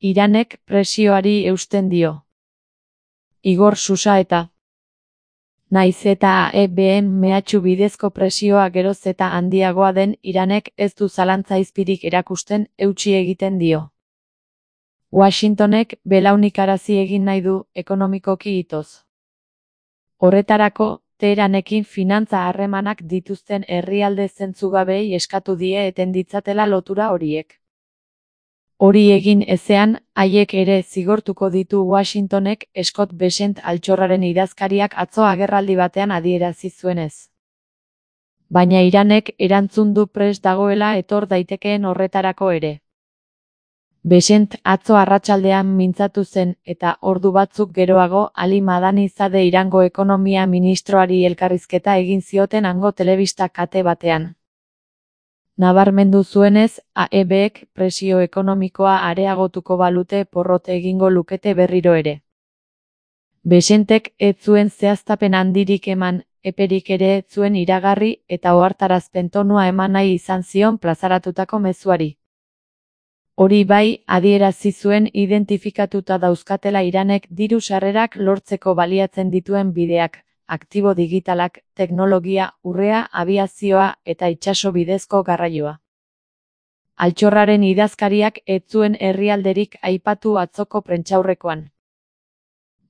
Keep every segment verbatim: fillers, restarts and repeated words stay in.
Iranek presioari eusten dio. Igor Susaeta. Naiz eta A E B-en mehatxu bidezko presioa geroz eta handiagoa den, Iranek ez du zalantza izpirik erakusten, eutsi egiten dio. Washingtonek belaunikarazi egin nahi du, ekonomikoki itoz. Horretarako, Teheranekin finantza harremanak dituzten herrialde zentzugabei eskatu die eten ditzatela lotura horiek. Hori egin ezean, haiek ere zigortuko ditu Washingtonek, Scott Bessent altxorraren idazkariak atzo agerraldi batean adierazi zuenez. Baina Iranek erantzun du prest dagoela etor daitekeen horretarako ere. Bessent atzo arratsaldean mintzatu zen eta ordu batzuk geroago Ali Madani Zade Irango ekonomia ministroari elkarrizketa egin zioten hango telebista kate batean. Nabarmendu zuenez, A E B-ek presio ekonomikoa areagotuko balute porrot egingo lukete berriro ere. Bessentek ez zuen zehaztapen handirik eman, eperik ere ez zuen iragarri eta ohartarazpen tonua eman nahi izan zion plazaratutako mezuari. Hori bai, adierazi zuen identifikatuta dauzkatela Iranek diru sarrerak lortzeko baliatzen dituen bideak, aktibo digitalak, teknologia, urrea, abiazioa eta itsaso bidezko garraioa. Altxorraren idazkariak ez zuen herrialderik aipatu atzoko prentsaurrekoan.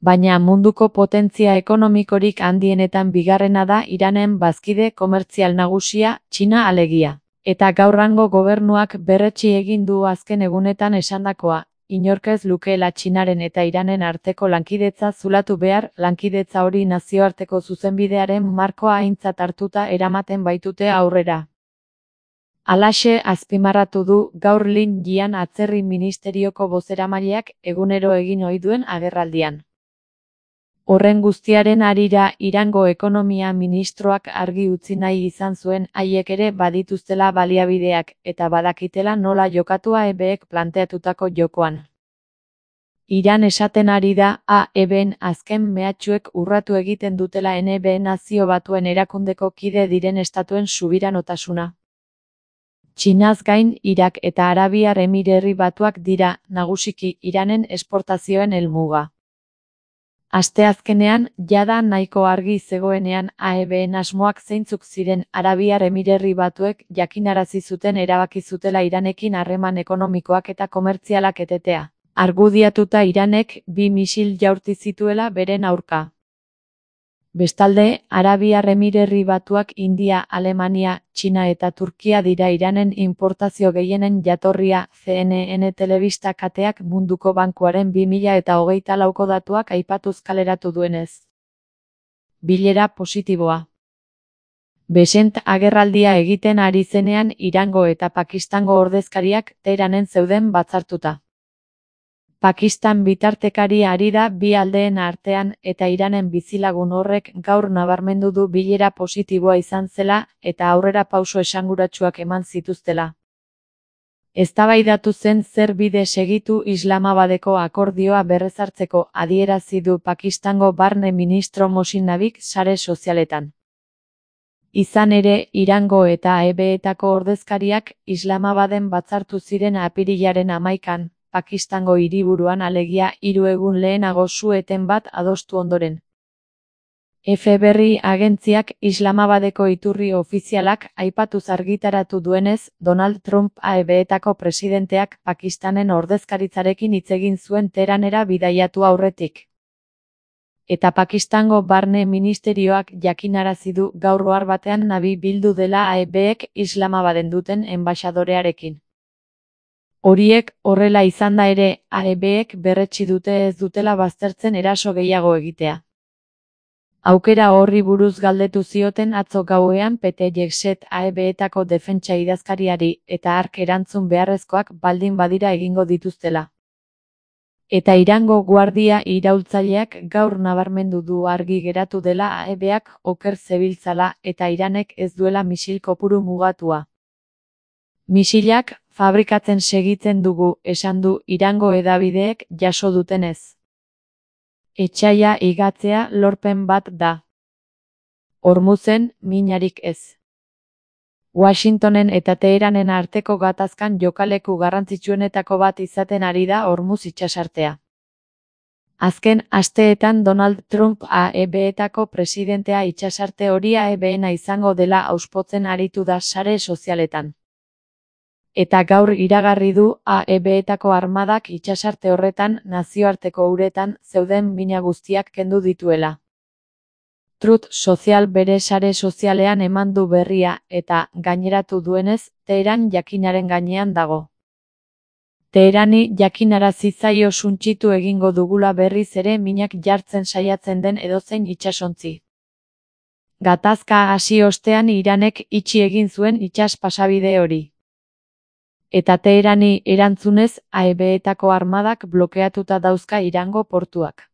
Baina munduko potentzia ekonomikorik handienetan bigarrena da Iranen bazkide komertzial nagusia, Txina alegia. Eta gaurrango gobernuak berretsi egin du azken egunetan esandakoa, inork ez lukeela Txinaren eta Iranen arteko lankidetza zulatu behar, lankidetza hori nazioarteko zuzenbidearen markoa aintzat hartuta eramaten baitute aurrera. Halaxe azpimarratu du gaur Lin Jian atzerri ministerioko bozeramaileak egunero egin ohi duen agerraldian. Horren guztiaren harira Irango ekonomia ministroak argi utzi nahi izan zuen haiek ere badituztela baliabideak eta badakitela nola jokatu A E B-ek planteatutako jokoan. Iran esaten ari da A E B-en azken mehatxuek urratu egiten dutela N B Nazio Batuen erakundeko kide diren estatuen subiranotasuna. Txinaz gain, Irak eta Arabiar Emirerri Batuak dira, nagusiki, Iranen esportazioen helmuga. Asteazkenean, jada nahiko argi zegoenean A E B-en asmoak zeintzuk ziren Arabiar Emirerri Batuek jakinarazi zuten erabaki zutela Iranekin harreman ekonomikoak eta komertzialak etetea. Argudiatuta Iranek bi misil jaurti zituela beren aurka. Bestalde, Arabiar Emirerri Batuak India, Alemania, Txina eta Turkia dira Iranen importazio gehienen jatorria, C N N telebista kateak Munduko Bankuaren bi mila eta hogeita lauko datuak aipatuz kaleratu duenez. Bilera positiboa. Bessent agerraldia egiten ari zenean Irango eta Pakistango ordezkariak Teheranen zeuden batzartuta. Pakistan bitartekari ari da bi aldeen artean eta Iranen bizilagun horrek gaur nabarmendu du bilera positiboa izan zela eta aurrera pauso esanguratsuak eman zituztela. Eztabaidatu zen zer bide segitu Islamabadeko akordioa berrezartzeko adierazi du Pakistango barne ministro Mohsin Nabik sare sozialetan. Izan ere, Irango eta A E B-etako ordezkariak Islamabaden batzartu ziren apirilaren hamaikan. Pakistango hiriburuan alegia hiru egun lehenago su-eten bat adostu ondoren. F berri agentziak Islamabadeko iturri ofizialak aipatuz argitaratu duenez, Donald Trump A E B-etako presidenteak Pakistanen ordezkaritzarekin hitz egin zuen Teheranera bidaiatu aurretik. Eta Pakistango barne ministerioak jakinarazi du gaur ohar batean Nabi bildu dela A E B-ek Islamabaden duten enbaxadorearekin. Horiek horrela izanda ere, A E B-ek berretsi dute ez dutela baztertzen eraso gehiago egitea. Aukera horri buruz galdetu zioten atzo gauean Pete Hegseth A E B-etako defentsa idazkariari eta hark erantzun beharrezkoak baldin badira egingo dituztela. Eta Irango guardia iraultzaileak gaur nabarmendu du argi geratu dela A E B-ak oker zebiltzala eta Iranek ez duela misil kopuru mugatua. Misilak fabrikatzen segitzen dugu, esan du Irango hedabideek jaso dutenez. Etsaia igatzea lorpen bat da. Hormuzen, minarik ez. Washingtonen eta Teheranen arteko gatazkan jokaleku garrantzitsuenetako bat izaten ari da Hormuz itsasartea. Azken asteetan Donald Trump A E B-etako presidentea itsasarte hori A E B-ena izango dela auspotzen aritu da sare sozialetan. Eta gaur iragarri du A E B-etako armadak itsasarte horretan nazioarteko uretan zeuden mina guztiak kendu dituela. Truth Social bere sare sozialean eman du berria eta, gaineratu duenez, Teheran jakinaren gainean dago. Teherani jakinarazi zaio suntsitu egingo dugula berriz ere minak jartzen saiatzen den edozein itsasontzi. Gatazka hasi ostean Iranek itxi egin zuen itsas pasabide hori. Eta Teherani erantzunez A E B-etako armadak blokeatuta dauzka Irango portuak.